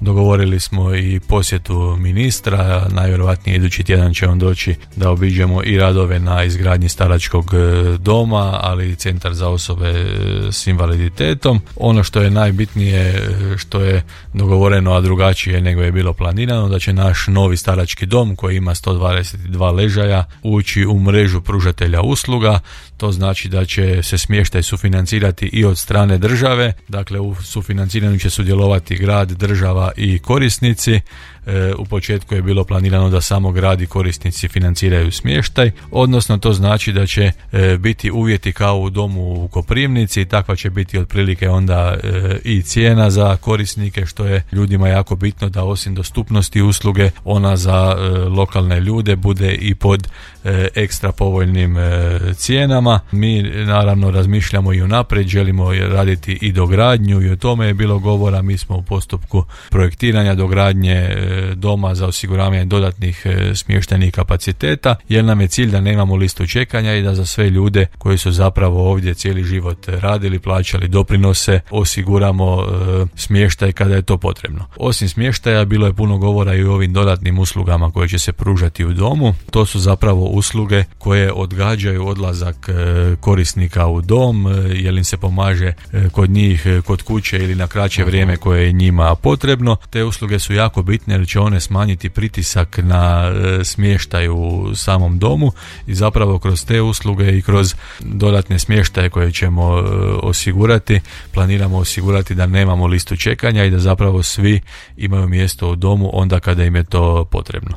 Dogovorili smo i posjetu ministra, najvjerojatnije idući tjedan će on doći da obiđemo i radove na izgradnji staračkog doma, ali i centar za osobe s invaliditetom. Ono što je najbitnije, što je dogovoreno, a drugačije nego je bilo planirano, da će naš novi starački dom koji ima 122 ležaja ući u mrežu pružatelja usluga. To znači da će se smještaj sufinancirati i od strane države, dakle u sufinanciranju će sudjelovati grad, država i korisnici. U početku je bilo planirano da samo grad i korisnici financiraju smještaj, odnosno to znači da će biti uvjeti kao u domu u Koprivnici, takva će biti otprilike onda i cijena za korisnike, što je ljudima jako bitno, da osim dostupnosti usluge ona za lokalne ljude bude i pod ekstra povoljnim cijenama. Mi naravno razmišljamo i unaprijed, želimo raditi i dogradnju i o tome je bilo govora. Mi smo u postupku projektiranja dogradnje doma za osiguravanje dodatnih smještajnih kapaciteta, jer nam je cilj da nemamo listu čekanja i da za sve ljude koji su zapravo ovdje cijeli život radili, plaćali doprinose, osiguramo smještaj kada je to potrebno. Osim smještaja bilo je puno govora i o ovim dodatnim uslugama koje će se pružati u domu. To su zapravo usluge koje odgađaju odlazak korisnika u dom, jer im se pomaže kod njih, kod kuće ili na kraće vrijeme koje je njima potrebno. Te usluge su jako bitne jer će one smanjiti pritisak na smještaj u samom domu i zapravo kroz te usluge i kroz dodatne smještaje koje ćemo osigurati, planiramo osigurati da nemamo listu čekanja i da zapravo svi imaju mjesto u domu onda kada im je to potrebno.